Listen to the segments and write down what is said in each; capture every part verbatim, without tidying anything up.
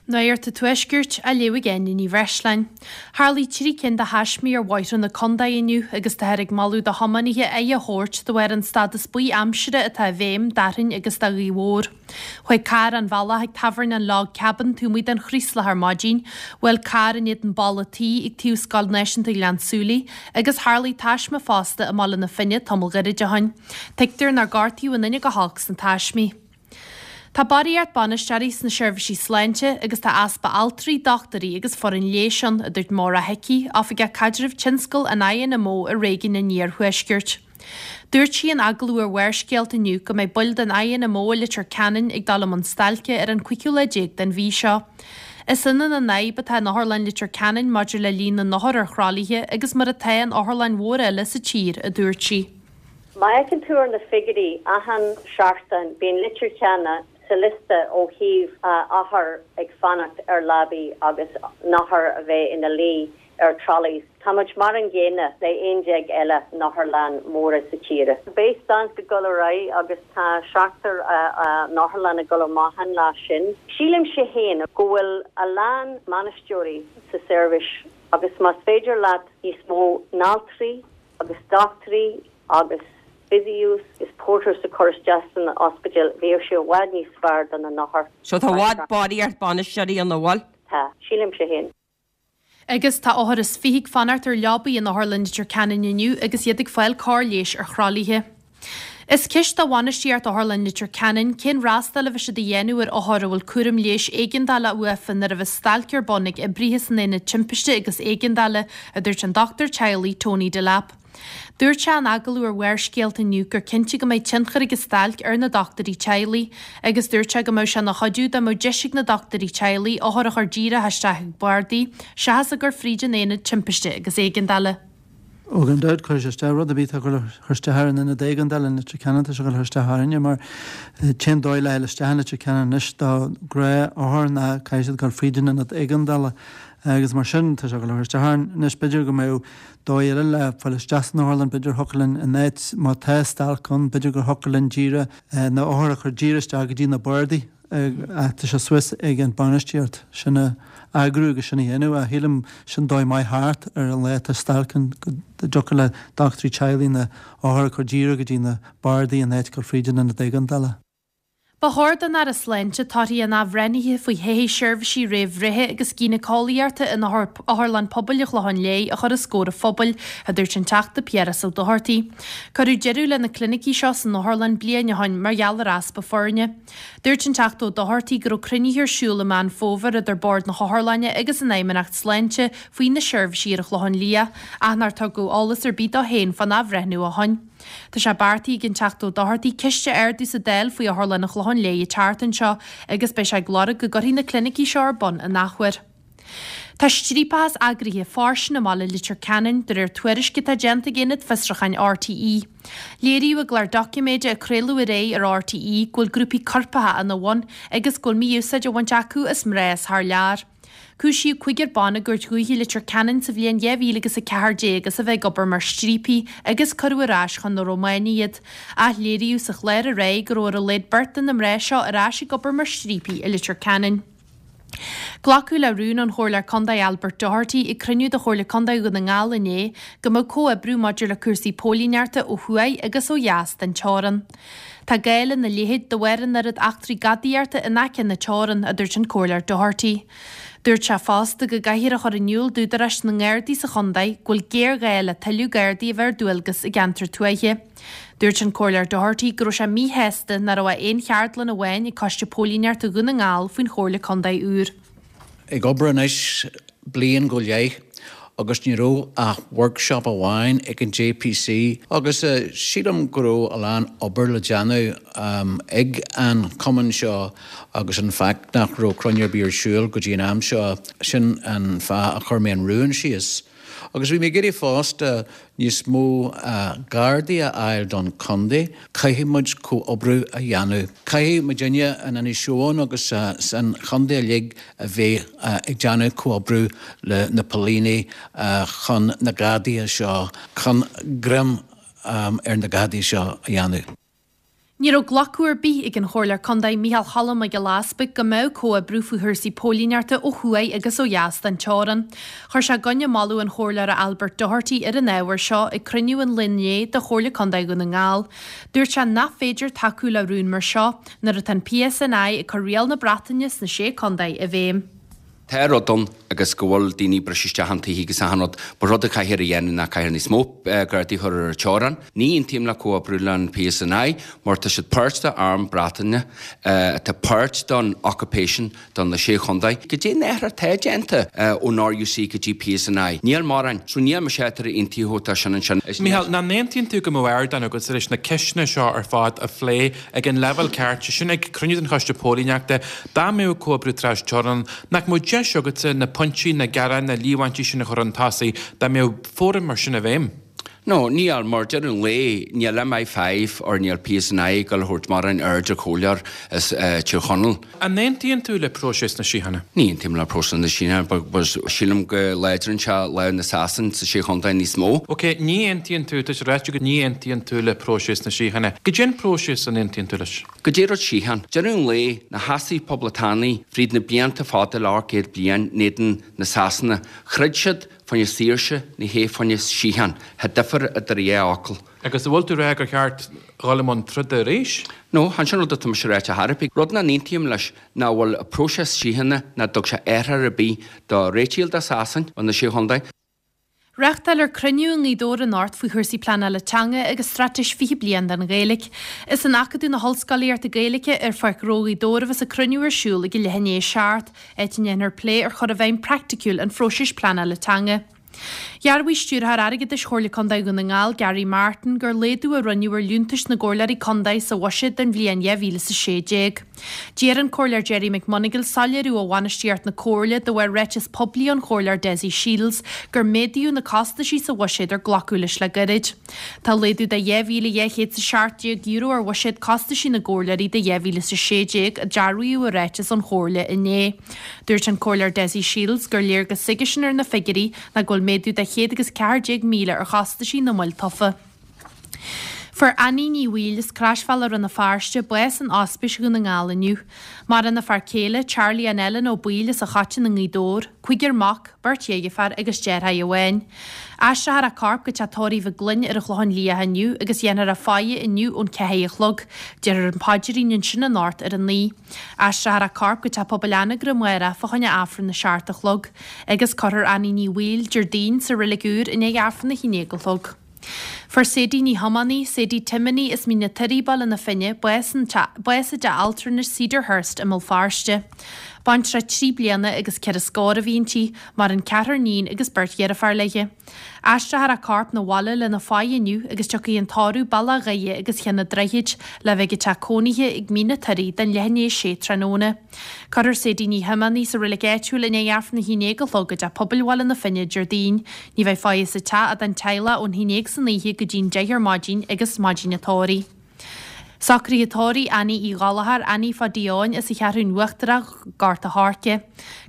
Nuacht an Tuaiscirt á léamh ag Áine Ní Bhreisleáin. Tharlaigh trí cinn de thaismí ar bhóithre na contae inniu agus táthar ag moladh do thiománaithe aghaidh a thabhairt de bharr an stádas buí aimsire atá i bhfeidhm d'Fhearthainn agus do Ghaoth Dobhair. Chuaigh carr an bhealach ag tábhairne an Log Cabin taobh amuigh den Chraoslach ar maidin, bhuail carr in éadan balla tí ag taobh Scoil Náisiúnta Ghleann tSúilí agus tharlaigh taisme fosta i mBaile na Finne tamall gairid ó shin. Tuigtear nár gortaíodh aon duine go holc sna taismí. Tá barraíocht bainisteoirí sna seirbhísí sláinte agus tá easpa altraí, dochtúirí agus foireann leighis ann, a dúirt Maura Hickey, Oifigeach Caidrimh Tionscail an INMO i réigiún an Iarthuaiscirt. Dúirt sí in agallamh ar Bharrscéalta inniu go mbeidh baill den INMO i Leitir Ceanainn ag dul i mbun stailce ar an cúigiú lá déag den mhí seo. Is ionann an fhadhb atá in Otharlann Leitir Ceanainn maidir le líon na n-othar ar thralaithe agus mar atá in otharlann mhóra eile sa tír, a dúirt sí. Má fheiceann tú ar na figiúirí achan seachtain bíonn Leitir Ceanainn sa liosta ó thaobh othar ag fanacht ar leabaí agus n-othar a bheith ina luí ar trolleys. Tá muid mar an gcéanna le aon déag eile n-otharlann móra sa tíre. Beidh stailc ag dul ar aghaidh agus tá seachtar n-otharlann ag dul amach an lá sin. Sílimse féin go bhfuil a lán bainisteoirí sa seirbhís agus más féidir leat níos mó n-altraí agus dochtúirí agus physios is porters a chur isteach san ospidéal bheadh sé i bhfad níos fearr do na n-othar. So tá bhfad barraíocht bainisteoirí an bhfuil? Tá, sílimse féin. Agus tá othar is fiche ag fanacht ar leabaí in Otharlann Leitir Ceanainn inniu agus iad ag fáil cóir leighis ar thralaithe. Is ceist do bhainistíocht Otharlann Leitir Ceanainn cén fhreastal a bheidh siad a dhéanamh ar othair a bhfuil cúram leighis éigeandála uafa nuair a bheas stailc ar bun ag oibrithe san aonad timpiste agus éigeandála, a dúirt an dochtúir teaghlaigh Tony Delap. Dúirt sé in agallamh ar Bharrscéalta inniu gur cinnte go mbeidh tionchar ag an stailc ar na dochtúirí teaghlaigh agus dúirt sé go mbeadh sé ina chuidiú dá mbeadh deis ag na dochtúirí teaghlaigh othair a chur díreach isteach ag bardaí seachas a gcur fríd an aonad timpiste agus éigeandála. Ó gan dabht cuirfidh sé isteach rud ar bith atá ag cur isteach ar an ionad éigeandála in Leitir Ceanainn tá sé ag cur isteach orainne mar an dóigh le isteach in Leitir Ceanainn anois do ghnáth-othar ná caithfidh siad dul fríd an ionad éigeandála agus mar sin tá sé ag cur isteach orainn anois b'fhéidir go mbeadh dóigh eile le fáil isteach san otharlann b'fhéidir thiocfadh linn in áit má tá stailc ann b'fhéidir gur thiocfadh linn díreach na othair a chur díreach isteach go dtí na bardaí tá sé suas ag an bainistíocht sin a eagrú agus sin a dhéanamh a shílim sin dóigh maith thart ar an lá atá stailc ann go dtiocfadh le dochtúirí teaghlaigh na othair a chur díreach go dtí na bardaí in áit dul fríd an ionad éigeandála. Ba chóir don Aire Sláinte torthaí an athbhreithnithe faoi thodhchaí seirbhísí réamhbhreithe agus gínéiceolaíochta in Otharlann Pobail an Chlocháin Léith a chur os comhair an phobail, a dúirt an Teachta Piaras Ó Dochartaigh. Cuireadh deireadh le na clinicí seo san otharlann bliain ó shin mar gheall ar easpa foirne. Dúirt an Teachta Ó Dochartaigh go raibh cruinnithe ar siúl i Meán Fómhair idir Bord na hOtharlainne agus an Fheidhmeannacht Sláinte faoi na seirbhísí ar an Chlochán Liath, ach nár tugadh eolas ar bith dó féin fán athbhreithniú ó shin. Tá sé beartaithe ag an Teachta Ó Dochartaigh ceist a ardú sa Dáil faoi Otharlann an Chlocháin Léith an tseachtain seo agus beidh sé ag lorg go gcuirfí na clinicí seo ar bun in athuair. Tá striapachas eagraithe fairsing i mbaile Leitir Ceanainn de réir tuairisc atá déanta ag Aonad Fiosrúcháin RTÉ. Léiríodh i gclár doiciméide a craoladh aréir ar RTÉ go bhfuil grúpaí coirpeacha ina bhun agus go bhfuil mí-úsáid á bhaint acu as mná as thar lear. Cúisíodh cúigear ban i gCúirt Dhúiche Leitir Ceanainn sa bhliain dhá mhíle agus a ceathair déag as a bheith ag obair mar striapaí agus cuireadh ar ais chun na Rómáine iad. Ach léiríodh sa chlár aréir go raibh ar a laghad beirt de na mná seo ar ais ag obair mar striapaí i Leitir Ceanainn. Glacadh le rún ón Chomhairleoir Contae Albert Doherty ag cruinniú de Chomhairle Contae Dhún na nGall inné go mbeadh comhoibriú maidir le cúrsaí póilíneachta ó thuaidh agus ó dheas den teorann. Tá gá lena leithéid de bharr an oiread eachtraí gadaíochta in aice na teorann, a dúirt an Comhairleoir Doherty. Dúirt sé fosta go gcaithfear a chur in iúl d'údaráis na nGardaí sa chontae go bhfuil géarghá le tuilleadh Gardaí a bheith ar dualgas i gceantar tuaithe. Dúirt an Comhairleoir Doherty go raibh sé míshásta nach raibh aon cheardlann amháin ag Coiste Póilíneachta Dhún na nGall faoin Chomhairle Contae úr. Ag obair anois bliain go leith agus ní raibh ach workshop amháin ag an JPC agus uh, sílim go raibh a lán obair le déanamh um, ag an cumann seo agus an fact nach raibh cruinniú ar bith ar siúl go dtí an am seo sin an fáth a chuir mé an rún síos. Agus bhí mé ag iarraidh fosta níos mó uh, Gardaí a fháil don chontae, caithfidh muid comhoibriú a dhéanamh. Caithfidh muidinne in Inis Eoghain agus uh, san chontae uilig a bheith uh, ag déanamh comhoibriú le na póilíní uh, chun na gadaithe seo chun greim um, ar na gadaithe seo a dhéanamh. Ní raibh glacadh ar bith ag an Chomhairleoir Contae Micheál Choilm Mac Giolla Easpaig go mbeadh comhoibriú faoi chúrsaí póilíneachta ó thuaidh agus ó dheas den teorainn. Chuir sé i gcoinne moladh an Chomhairleora Albert Doherty ar an ábhar seo ag cruinniú an lae inné de Chomhairle Contae Dhún na nGall. Dúirt sé nach féidir tacú le rún mar seo nuair atá an PSNI ag cur riail na Breataine sna Sé Contae i bhfeidhm. Tá rud ann agus go bhfuil daoine ag briseadh isteach an tithe agus achan rud, ba rud a caithfear a dhéanamh ná caithfear níos mó Gardaí a chur ar an teorainn. Ní aontaím le comhoibriú le an PSNI mar tá siad páirt de arm Breataine, atá páirt don occupation don na Sé Chontae. Goidé an athrú atá déanta ón RUC go dtí PSNI? Níl mórán, so níl mise tar aontaí tá sin ansin. Micheál, nach n-aontaíonn tú go mbeadh ardán agat leis na ceisteanna seo ar fad a phlé ag an leibhéal ceart, sé sin ag cruinniú den Choiste Póilíneachta, dá mbeadh comhoibriú trasteorann, nach mbeadh deis agatsa na pointí, na gearáin, na líomhaintí sin a chur chun tosaigh, dá mbeadh fóram mar sin i bhfeidhm? No, níl, mar deireadh an lae, níl MI five or níl PSNI ag dul a thabhairt mórán aird ar chomhairleoir as Tír Chonaill. An aontaíonn tú le próiseas na síochána? Ní aontaím le próiseas na síochána, but sílim go láidríonn sé lámh na Sasan sa Sé Chontae níos mó. Ok, ní aontaíonn tú, tá sé ráite agat ní aontaíonn tú le próiseas na síochána. Goidé an próiseas a n-aontaíonn tú leis? Goidé rud síocháin. Deireadh an lae, na heasaí poblachtánaigh fríd na blianta fada le ocht gcéad bliain in éadan na Sasana, throid siad fá choinne saoirse, ní hé fá choinne síocháin. Tá difear idir a dhá fhocal. Agus an bhfuil tú ag rá gur cheart dhul i mbun troda arís? No, chan sin rud atá mise ráite chor ar bith. Rud nach n-aontaím leis ná bhfuil próiseas síochána nach dtug sé athrú ar bith do réitíl do Sasain ó na Sé Chontae. Reáchtáiltear cruinniú i nGaoth Dobhair anocht faoi chúrsaí pleanála teanga agus straitéis fiche bliain don Ghaeilge. Is in Acadamh na hOllscolaíochta Gaeilge ar Pháirc Ghnó Ghaoth Dobhair a bheas an cruinniú ar siúl ag a leath i ndiaidh a seacht, áit a ndéanfar plé ar chur i bhfeidhm praiticiúil an phróisis pleanála teanga. Dhearbhaigh Stiúrthóir Airgeadais Chomhairle Contae Dhún na nGall, Gary Martin, gur laghdú a rinneadh ar liúntais na gcomhairleoirí contae sa bhuiséad don bhliain dhá mhíle is a sé déag. D'iarr an Comhairleoir Gerry McMonagle soiléiriú ó bhainistíocht na Comhairle de bharr ráiteas poiblí ón Chomhairleoir Dessie Shiels gur méadaíodh na costaisí sa bhuiséad ar glacadh leis le gairid. Tá laghdú de dhá mhíle dhá chéad is a seacht déag euro ar bhuiséad costaisí na gcomhairleoirí do dhá mhíle is a sé déag, a dearbhaíodh i ráiteas ón Chomhairle inné. Dúirt an Comhairleoir Dessie Shiels gur léargas s'aigesean ar na figiúirí ná go bhfuil méadú de chéad agus ceathair déag míle ar chostaisí na mbaill tofa. Fuair Annie Ní Bhaoill as Croisbhealach Rann na Feirste bás in Ospís Dhún na nGall inniu. Maireann a fear céile, Charlie an Ellen Ó Baoill as an Choiteann i nGaoth Dobhair, cúigear mac, beirt dheirféar agus deartháir amháin. Aistreofar a corp go teach tórraimh Mhic Gloinn ar an Chlochán Liath inniu agus dhéanfar a faire inniu ón ceathair a chlog. Déarfar an paidrín ansin anocht ar a naoi. Aistreofar a corp go teach pobail Anagaire amárach fá choinne Aifreann a seacht a chlog agus cuirfear Annie Ní Bhaoill, Déardaoin, sa reilig úr i ndiaidh Aifreann a haon déag a chlog. Fuair Sadie Ní Thiománaí, Sadie Timoney as Mín na Toirí, Baile na Finne, bás i dteach altranais Cedarhurst i mBéal Feirste. Baintreach trí bliana agus ceithre scór a bhí inti, maireann ceathrar níon agus beirt dheirféar léi. Aistreofar a corp 'na bhaile lena faire inniu agus tiocfaidh an tórramh Bealach Dhoire agus Cheann an Droichid le bheith ag teach cónaithe ag Mín na Toirí don leath i ndiaidh a sé tráthnóna. Cuirfear Sadie Ní Thiománaí sa reilig áitiúil i ndiaidh Aifreann a haon déag a chlog i dteach pobail Bhaile na Finne Déardaoin. Ní bheidh faire sa teach ach don teaghlach ón haon déag san oíche go dtí'n deich ar maidin agus maidin an tórraimh. Socruithe tórraimh Annie Uí Ghallchóir, Annie Pháidí Eoin as an Cheathrún Uachtarach, Gort a' Choirce.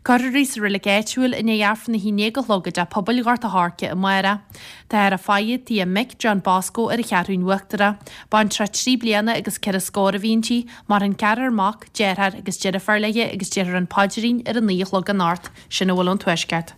Cuirfear í sa reilig áitiúil i ndiaidh Aifreann a haon déag a chlog i dteach pobail Ghort a' Choirce amárach. Táthar á faire tigh a mic, John Bosco, ar an Cheathrún Uachtarach. Baintreach trí bliana agus ceithre scór a bhí inti, maireann ceathrar mac, deartháir agus deirfiúr léi agus déarfar an paidrín ar a naoi a chlog anocht. Sin a bhfuil ón Tuaisceart.